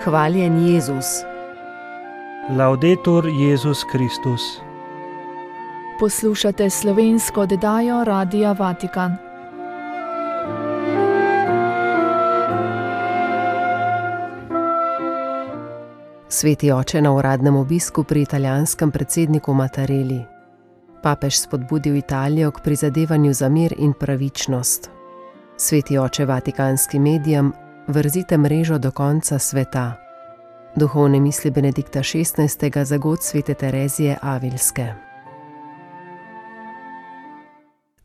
Hvaljen Jezus. Laudetur Jezus Kristus. Poslušate slovensko oddajo Radia Vatikan. Sveti oče na uradnem obisku pri italijanskem predsedniku Mattarelli. Papež spodbudil Italijo k prizadevanju za mir in pravičnost. Sveti oče vatikanskim medijem: vrzite mrežo do konca sveta. Duhovne misli Benedikta XVI. Za god svete Terezije Avilske.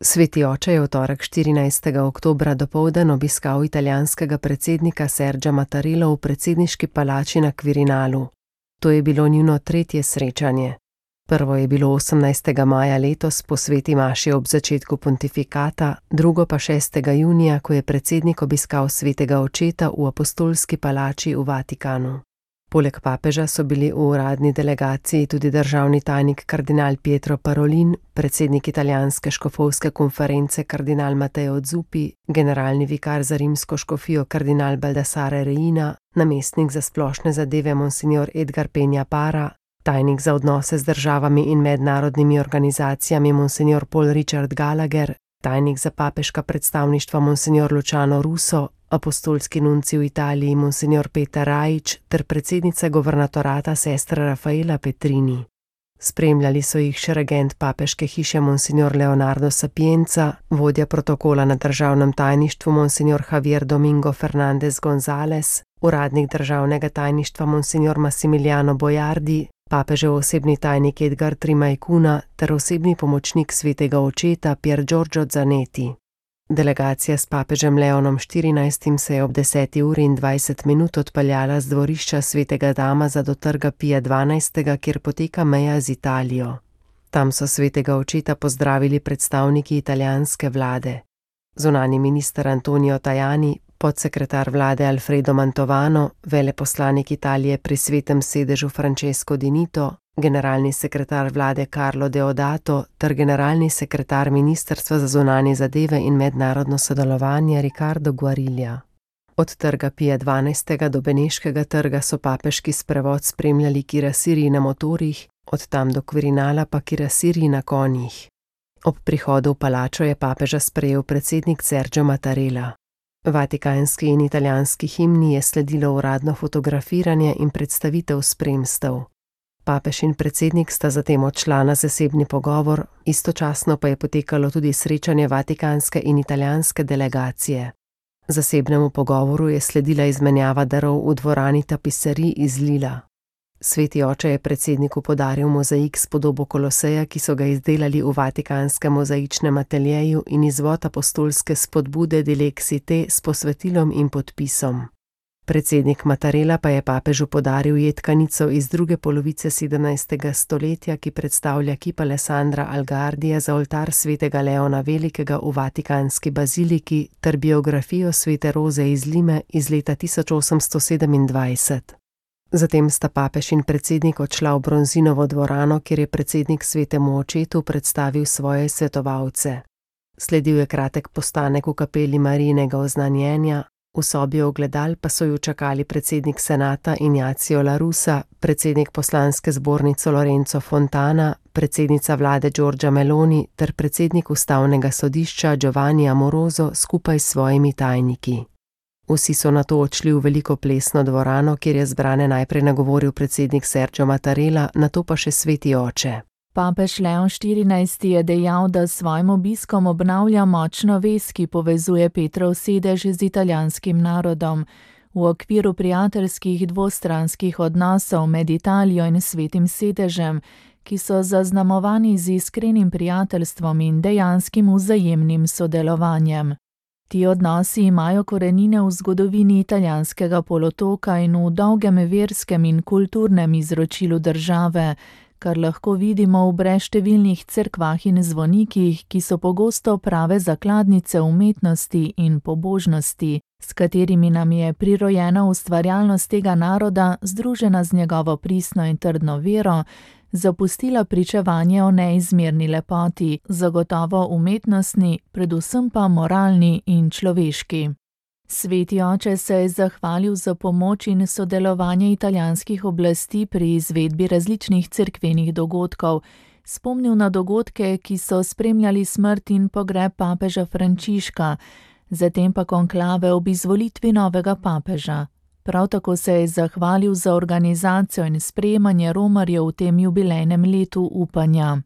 Sveti oče je v torek 14. oktobra dopoldan obiskal italijanskega predsednika Sergia Mattarella v predsedniški palači na Quirinalu. To je bilo njuno tretje srečanje. Prvo je bilo 18. maja letos po sveti maši ob začetku pontifikata, drugo pa 6. junija, ko je predsednik obiskal svetega očeta v apostolski palači v Vatikanu. Poleg papeža so bili v uradni delegaciji tudi državni tajnik kardinal Pietro Parolin, predsednik italijanske škofovske konference kardinal Matteo Zuppi, generalni vikar za rimsko škofijo kardinal Baldassare Reina, namestnik za splošne zadeve monsignor Edgar Peña Para, tajnik za odnose z državami in mednarodnimi organizacijami monsignor Paul Richard Gallagher, tajnik za papeška predstavništva monsignor Luciano Russo, apostolski nuncij v Italiji monsignor Peter Rajić ter predsednica governatorata sestra Rafaela Petrini. Spremljali so jih še regent papeške hiše monsignor Leonardo Sapienza, vodja protokola na državnem tajništvu monsignor Javier Domingo Fernandez González, uradnik državnega tajništva monsignor Massimiliano Bojardi, papežev osebni tajnik Edgar Trimaicuna ter osebni pomočnik svetega očeta Pier Giorgio Zanetti. Delegacija s papežem Leonom XIV. Se je ob 10:20 odpeljala z dvorišča svetega Damaza do trga Pija XII., kjer poteka meja z Italijo. Tam so svetega očeta pozdravili predstavniki italijanske vlade. Zunanji minister Antonio Tajani, podsekretar vlade Alfredo Mantovano, veleposlanik Italije pri svetem sedežu Francesco Dinito, generalni sekretar vlade Carlo Deodato ter generalni sekretar Ministrstva za zunanje zadeve in mednarodno sodelovanje Riccardo Guariglia. Od trga Pija XII. Do Beneškega trga so papeški sprevod spremljali kirasirji na motorjih, od tam do Quirinala pa kirasirji na konjih. Ob prihodu v palačo je papeža sprejel predsednik Sergio Mattarella. Vatikanski in italijanski himni je sledilo uradno fotografiranje in predstavitev spremstev. Papež in predsednik sta zatem odšla na zasebni pogovor, istočasno pa je potekalo tudi srečanje vatikanske in italijanske delegacije. Zasebnemu pogovoru je sledila izmenjava darov v dvorani tapiserij iz Lila. Sveti oče je predsedniku podaril mozaik s podobo Koloseja, ki so ga izdelali v vatikanskem mozaičnem ateljeju, in izvod apostolske spodbude Dilexite s posvetilom in podpisom. Predsednik Mattarella pa je papežu podaril jedkanico iz druge polovice 17. stoletja, ki predstavlja kip Alessandra Algardija za oltar svetega Leona Velikega v vatikanski baziliki ter biografijo svete Roze iz Lime iz leta 1827. Zatem sta papež in predsednik odšla v Bronzinovo dvorano, kjer je predsednik svetemu očetu predstavil svoje svetovalce. Sledil je kratek postanek v kapeli Marijinega oznanjenja, v sobi ogledal pa so ju čakali predsednik senata Ignacio La Russa, predsednik poslanske zbornice Lorenzo Fontana, predsednica vlade Giorgia Meloni ter predsednik ustavnega sodišča Giovanni Amoroso skupaj s svojimi tajniki. Vsi so nato odšli v veliko plesno dvorano, kjer je zbrane najprej nagovoril predsednik Sergio Mattarella, nato pa še sveti oče. Papež Leon XIV. Je dejal, da s svojim obiskom obnavlja močno vez, ki povezuje Petrov sedež z italijanskim narodom. V okviru prijateljskih dvostranskih odnosov med Italijo in svetim sedežem, ki so zaznamovani z iskrenim prijateljstvom in dejanskim vzajemnim sodelovanjem. Ti odnosi imajo korenine v zgodovini italijanskega polotoka in v dolgem verskem in kulturnem izročilu države, kar lahko vidimo v brezštevilnih cerkvah in zvonikih, ki so pogosto prave zakladnice umetnosti in pobožnosti, s katerimi nam je prirojena ustvarjalnost tega naroda, združena z njegovo pristno in trdno vero, zapustila pričevanje o neizmerni lepoti, zagotovo umetnostni, predvsem pa moralni in človeški. Sveti oče se je zahvalil za pomoč in sodelovanje italijanskih oblasti pri izvedbi različnih cerkvenih dogodkov, spomnil na dogodke, ki so spremljali smrt in pogreb papeža Frančiška, zatem pa konklave ob izvolitvi novega papeža. Prav tako se je zahvalil za organizacijo in sprejemanje romarjev v tem jubilejnem letu upanja.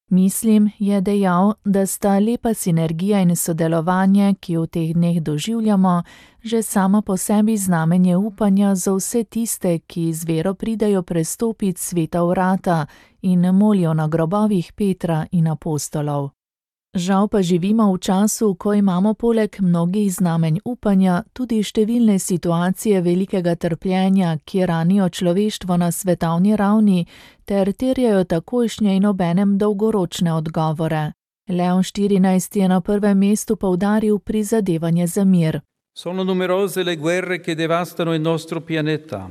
Mislim, je dejal, da sta lepa sinergija in sodelovanje, ki v teh dneh doživljamo, že sama po sebi znamenje upanja za vse tiste, ki z vero pridejo prestopiti sveta vrata in molijo na grobovih Petra in apostolov. Žal pa živimo v času, ko imamo poleg mnogih znamenj upanja tudi številne situacije velikega trpljenja, ki ranijo človeštvo na svetovni ravni ter terjajo takojšnje in obenem dolgoročne odgovore. Leon XIV je na prvem mestu poudaril prizadevanje za mir. Sono numerose le guerre che devastano il nostro pianeta.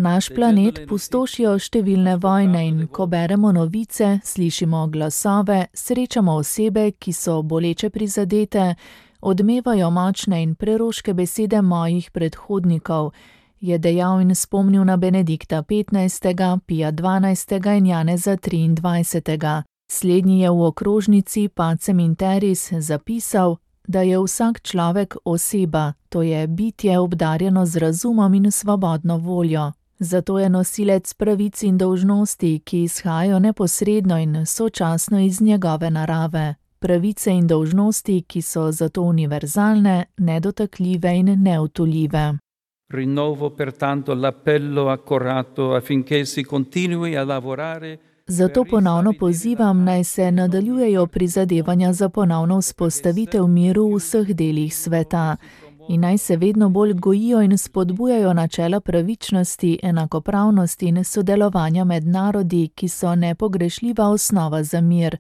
Naš planet pustošijo številne vojne in ko beremo novice, slišimo glasove, srečamo osebe, ki so boleče prizadete, odmevajo močne in preroške besede mojih predhodnikov, je dejal in spomnil na Benedikta XV., Pija XII. In Janeza XXIII. Slednji je v okrožnici Pacem in Terris zapisal, da je vsak človek oseba, to je bitje obdarjeno z razumom in svobodno voljo. Zato je nosilec pravic in dolžnosti, ki izhajajo neposredno in sočasno iz njegove narave. Pravice in dolžnosti, ki so zato univerzalne, nedotakljive in neutoljive. Rinnovo pertanto l'appello accorato affinché si continui a lavorare. Zato ponovno pozivam, naj se nadaljujejo prizadevanja za ponovno vzpostavitev miru v vseh delih sveta in naj se vedno bolj gojijo in spodbujajo načela pravičnosti, enakopravnosti in sodelovanja med narodi, ki so nepogrešljiva osnova za mir,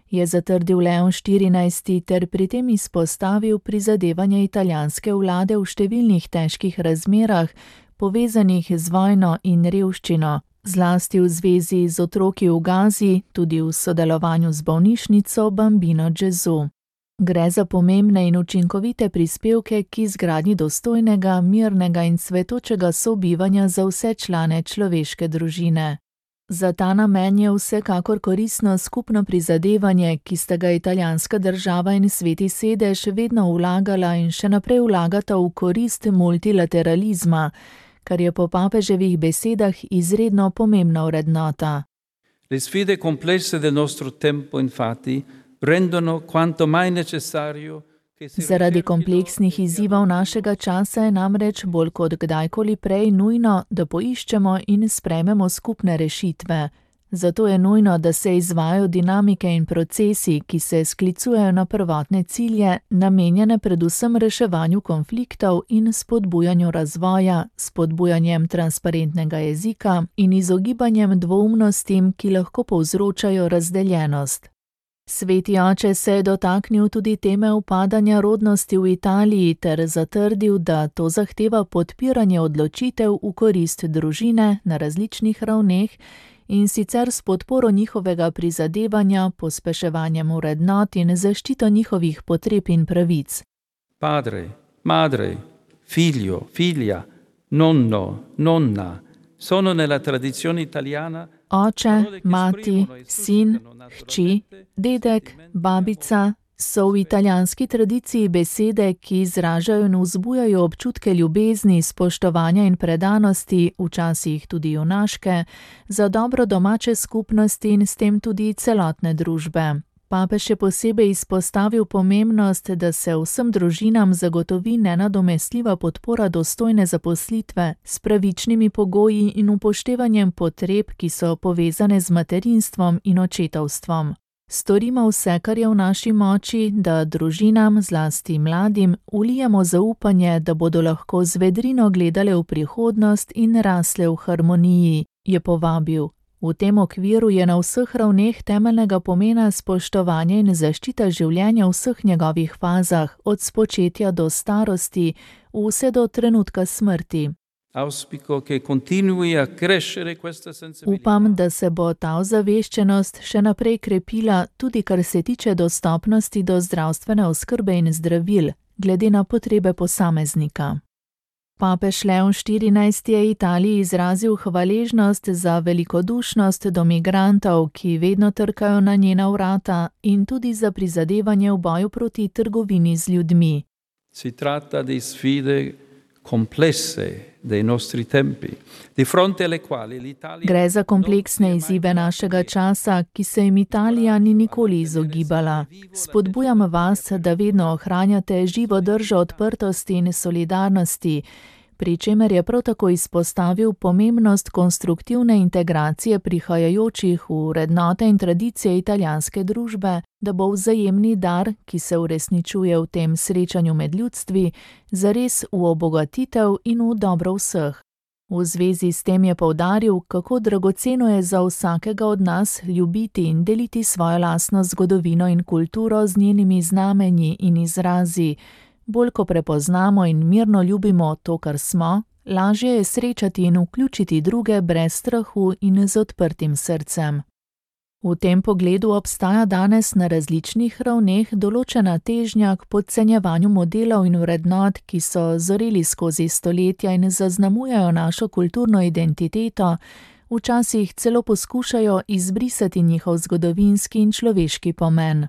je zatrdil Leon XIV. Ter pri tem izpostavil prizadevanje italijanske vlade v številnih težkih razmerah, povezanih z vojno in revščino, zlasti v zvezi z otroki v Gazi, tudi v sodelovanju z bolnišnico Bambino Gesù. Gre za pomembne in učinkovite prispevke k izgradnji dostojnega, mirnega in cvetočega sobivanja za vse člane človeške družine. Za ta namen je vsekakor koristno skupno prizadevanje, ki sta ga italijanska država in Sveti sedež vedno vlagala in še naprej vlagata v korist multilateralizma, kar je po papeževih besedah izredno pomembna vrednota. Le sfide complesse del nostro tempo, infatti, rendono quanto mai necessario. Zaradi kompleksnih izzivov našega časa je namreč bolj kot kdajkoli prej nujno, da poiščemo in sprejmemo skupne rešitve. Zato je nujno, da se izvajajo dinamike in procesi, ki se sklicujejo na prvotne cilje, namenjene predvsem reševanju konfliktov in spodbujanju razvoja, spodbujanjem transparentnega jezika in izogibanjem dvoumnostim, ki lahko povzročajo razdeljenost. Sveti oče se je dotaknil tudi teme upadanja rodnosti v Italiji ter zatrdil, da to zahteva podpiranje odločitev v korist družine na različnih ravneh in sicer s podporo njihovega prizadevanja, pospeševanjem vrednot in zaščito njihovih potreb in pravic. Padre, madre, figlio, figlia, nonno, nonna, sono nella tradizione italiana. Oče, mati, sin, hči, dedek, babica so v italijanski tradiciji besede, ki izražajo in vzbujajo občutke ljubezni, spoštovanja in predanosti, včasih tudi junaške, za dobro domače skupnosti in s tem tudi celotne družbe. Papež je posebej izpostavil pomembnost, da se vsem družinam zagotovi nenadomestljiva podpora dostojne zaposlitve s pravičnimi pogoji in upoštevanjem potreb, ki so povezane z materinstvom in očetovstvom. Storimo vse, kar je v naši moči, da družinam, zlasti mladim, vlijemo zaupanje, da bodo lahko z vedrino gledale v prihodnost in rasle v harmoniji, je povabil. V tem okviru je na vseh ravneh temeljnega pomena spoštovanje in zaščita življenja v vseh njegovih fazah, od spočetja do starosti, vse do trenutka smrti. Upam, da se bo ta ozaveščenost še naprej krepila, tudi kar se tiče dostopnosti do zdravstvene oskrbe in zdravil, glede na potrebe posameznika. Papež Leon XIV je Italiji izrazil hvaležnost za velikodušnost do migrantov, ki vedno trkajo na njena vrata, in tudi za prizadevanje v boju proti trgovini z ljudmi. Si tratta di sfide complesse dei nostri tempi, di fronte alle quali l'Italia... Gre za kompleksne izzive našega časa, ki se jim Italija ni nikoli izogibala. Spodbujam vas, da vedno ohranjate živo držo odprtosti in solidarnosti, pri čemer je prav tako izpostavil pomembnost konstruktivne integracije prihajajočih v vrednote in tradicije italijanske družbe, da bo vzajemni dar, ki se uresničuje v tem srečanju med ljudstvi, zares v obogatitev in v dobro vseh. V zvezi s tem je poudaril, kako dragoceno je za vsakega od nas ljubiti in deliti svojo lastno zgodovino in kulturo z njenimi znamenji in izrazi. Bolj ko prepoznamo in mirno ljubimo to, kar smo, lažje je srečati in vključiti druge brez strahu in z odprtim srcem. V tem pogledu obstaja danes na različnih ravneh določena težnja k podcenjevanju modelov in vrednot, ki so zoreli skozi stoletja in zaznamujejo našo kulturno identiteto, včasih celo poskušajo izbrisati njihov zgodovinski in človeški pomen.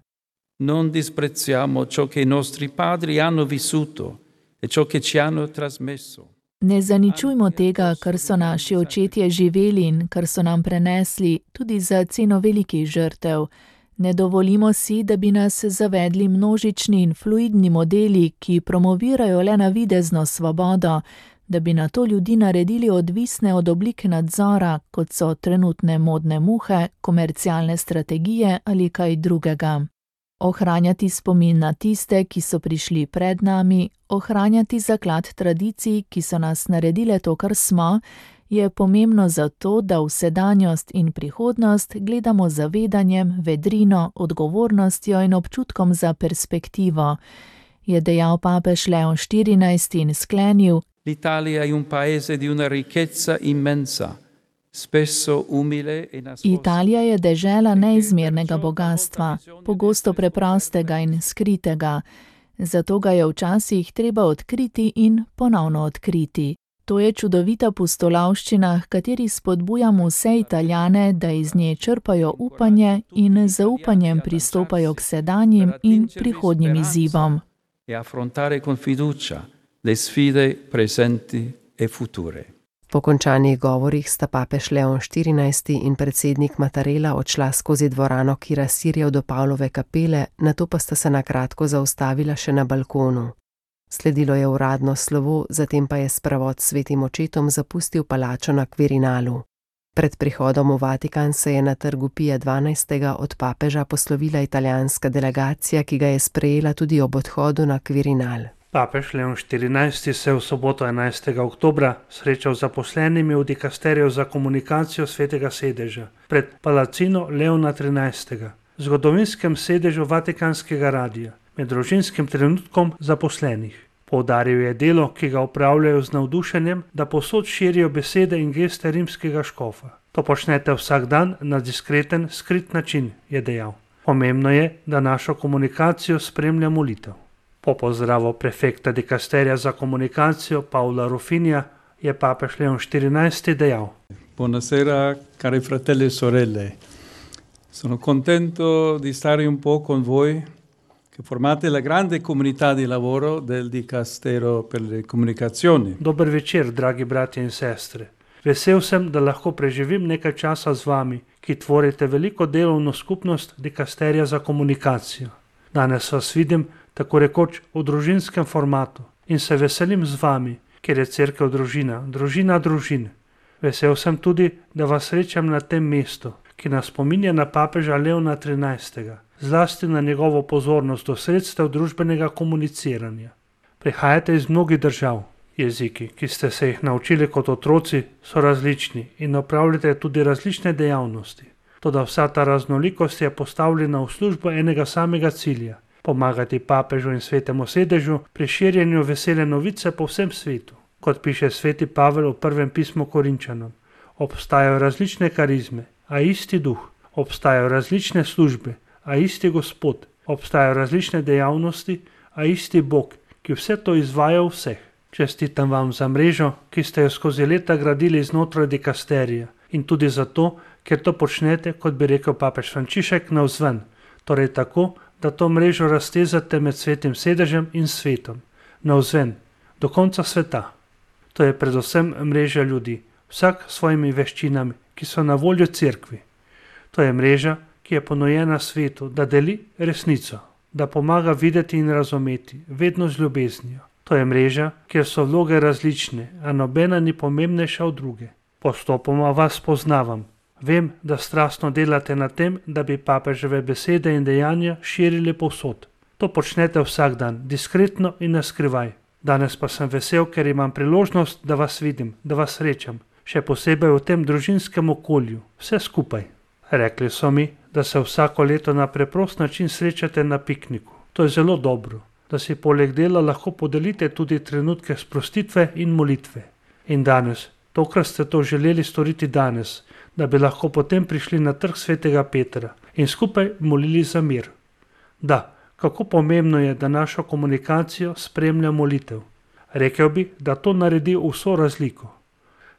Non disprezziamo ciò che i nostri padri hanno vissuto e ciò che ci hanno trasmesso. Ne zaničujmo tega, kar so naši očetje živeli in kar so nam prenesli, tudi za ceno velikih žrtev. Ne dovolimo si, da bi nas zavedli množični in fluidni modeli, ki promovirajo le navidezno svobodo, da bi nato ljudi naredili odvisne od oblik nadzora, kot so trenutne modne muhe, komercialne strategije ali kaj drugega. Ohranjati spomin na tiste, ki so prišli pred nami, ohranjati zaklad tradicij, ki so nas naredile to, kar smo, je pomembno zato, da v sedanjost in prihodnost gledamo z zavedanjem, vedrino, odgovornostjo in občutkom za perspektivo, je dejal papež Leon XIV in sklenil: L'Italia è un paese di una ricchezza immensa. Italija je dežela neizmernega bogatstva, pogosto preprostega in skritega, zato ga je včasih treba odkriti in ponovno odkriti. To je čudovita pustolovščina, h kateri spodbujamo vse Italijane, da iz nje črpajo upanje in z zaupanjem pristopajo k sedanjim in prihodnjim izzivom. E affrontare con fiducia le sfide presenti e future. Po končanih govorih sta papež Leon XIV in predsednik Mattarella odšla skozi dvorano Kirasirjev do Pavlove kapele, nato pa sta se na kratko zaustavila še na balkonu. Sledilo je uradno slovo, zatem pa je sprevod s svetim očetom zapustil palačo na Quirinalu. Pred prihodom v Vatikan se je na trgu Pija XII. Od papeža poslovila italijanska delegacija, ki ga je sprejela tudi ob odhodu na Quirinal. Papež Leon XIV se je v soboto 11. oktobra srečal z zaposlenimi v dikasteriju za komunikacijo Svetega sedeža pred Palacino Leona XIII., zgodovinskem sedežu Vatikanskega radia, med družinskim trenutkom zaposlenih. Poudaril je delo, ki ga opravljajo z navdušenjem, da povsod širijo besede in geste rimskega škofa. To počnete vsak dan na diskreten, skrit način, je dejal. Pomembno je, da našo komunikacijo spremlja molitev. Po pozdravu prefekta dikasterija za komunikacijo Paola Rufinija je papež Leon XIV dejal: Buonasera, cari fratelli e sorelle. Sono contento di stare un po' con voi che formate la grande comunità di lavoro del Dicastero per le comunicazioni. Dober večer, dragi bratje in sestre. Vesel sem, da lahko preživim nekaj časa z vami, ki tvorite veliko delovno skupnost Dikasterija za komunikacijo. Danes vas vidim tako rekoč v družinskem formatu in se veselim z vami, ker je cerkev družina, družina družin. Vesel sem tudi, da vas srečam na tem mestu, ki nas spominja na papeža Leona XIII., zlasti na njegovo pozornost do sredstev družbenega komuniciranja. Prihajate iz mnogih držav. Jeziki, ki ste se jih naučili kot otroci, so različni in opravljate tudi različne dejavnosti. Toda vsa ta raznolikost je postavljena v službo enega samega cilja: pomagati papežu in svetemu sedežu pri širjenju vesele novice po vsem svetu. Kot piše sveti Pavel v prvem pismu Korinčanom, obstajajo različne karizme, a isti duh, obstajajo različne službe, a isti Gospod, obstajajo različne dejavnosti, a isti Bog, ki vse to izvaja v vseh. Čestitam vam za mrežo, ki ste jo skozi leta gradili znotraj dikasterija in tudi zato, ker to počnete, kot bi rekel papež Frančišek, navzven, torej tako, da to mrežo raztezate med svetim sedežem in svetom, navzven, do konca sveta. To je predvsem mreža ljudi, vsak s svojimi veščinami, ki so na voljo cerkvi. To je mreža, ki je ponujena svetu, da deli resnico, da pomaga videti in razumeti, vedno z ljubeznijo. To je mreža, kjer so vloge različne, a nobena ni pomembnejša od druge. Postopoma vas poznavam. Vem, da strastno delate na tem, da bi papeževe besede in dejanja širili povsod. To počnete vsak dan, diskretno in naskrivaj. Danes pa sem vesel, ker imam priložnost, da vas vidim, da vas srečam, še posebej v tem družinskem okolju, vse skupaj. Rekli so mi, da se vsako leto na preprost način srečate na pikniku. To je zelo dobro, da si poleg dela lahko podelite tudi trenutke sprostitve in molitve. In danes, tokrat ste to želeli storiti danes, da bi lahko potem prišli na trg svetega Petra in skupaj molili za mir. Da, kako pomembno je, da našo komunikacijo spremlja molitev. Rekel bi, da to naredi vso razliko.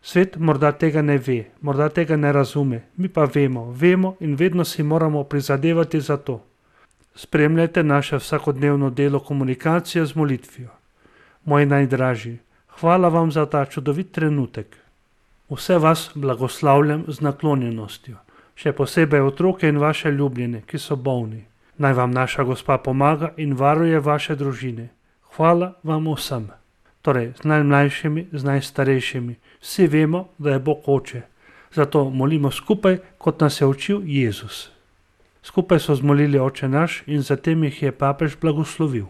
Svet morda tega ne ve, morda tega ne razume, mi pa vemo in vedno si moramo prizadevati za to. Spremljajte naše vsakodnevno delo komunikacije z molitvijo. Moji najdražji, hvala vam za ta čudovit trenutek. Vse vas blagoslavljam z naklonjenostjo, še posebej otroke in vaše ljubljene, ki so bolni. Naj vam naša Gospa pomaga in varuje vaše družine. Hvala vam vsem. Torej, z najmlajšimi, z najstarejšimi. Vsi vemo, da je Bog oče. Zato molimo skupaj, kot nas je učil Jezus. Skupaj so zmolili Oče naš in zatem jih je papež blagoslovil.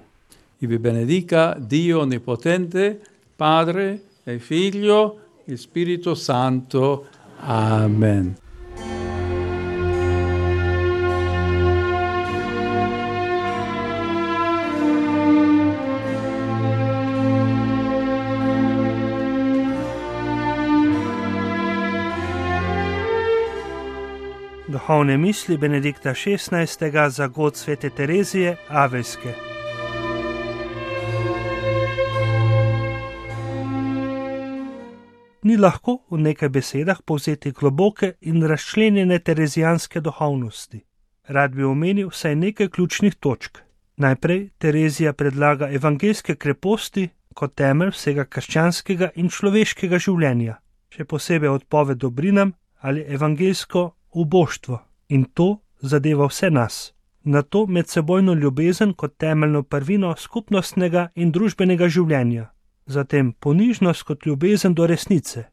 I vi benedica Dio Onnipotente, Padre e Figlio e Spirito Santo. Amen. Duhovne misli Benedikta XVI. Za god svete Terezije Avejske. Ni lahko v nekaj besedah povzeti globoke in razčlenjene terezijanske duhovnosti. Rad bi omenil vsaj nekaj ključnih točk. Najprej Terezija predlaga evangeljske kreposti kot temelj vsega krščanskega in človeškega življenja, še posebej odpoved dobrinam ali evangeljsko uboštvo, in to zadeva vse nas. Na to medsebojno ljubezen kot temeljno prvino skupnostnega in družbenega življenja, zatem ponižnost kot ljubezen do resnice,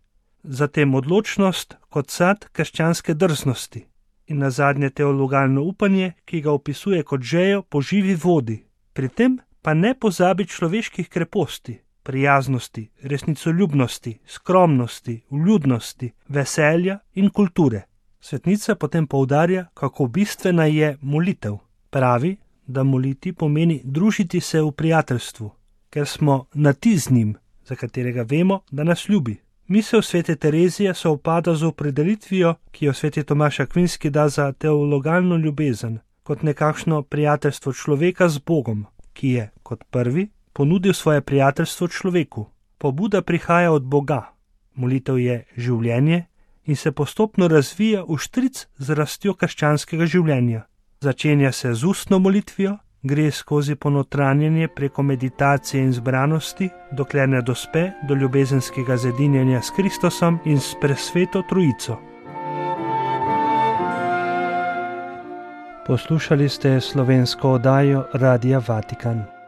zatem odločnost kot sad krščanske drznosti in nazadnje teologalno upanje, ki ga opisuje kot žejo po živi vodi. Pri tem pa ne pozabi človeških kreposti, prijaznosti, resnicoljubnosti, skromnosti, vljudnosti, veselja in kulture. Svetnica potem poudarja, kako bistvena je molitev. Pravi, da moliti pomeni družiti se v prijateljstvu, ker smo na ti z njim, za katerega vemo, da nas ljubi. Misel svete Terezije se upada z opredelitvijo, ki jo sveti Tomaž Akvinski da za teologalno ljubezen, kot nekakšno prijateljstvo človeka z Bogom, ki je, kot prvi, ponudil svoje prijateljstvo človeku. Pobuda prihaja od Boga. Molitev je življenje in se postopno razvija v štric z rastjo krščanskega življenja. Začenja se z ustno molitvijo, gre skozi ponotranjenje preko meditacije in zbranosti, dokler ne dospe do ljubezenskega zedinjenja s Kristusom in s presveto Trojico. Poslušali ste slovensko oddajo Radia Vatikan.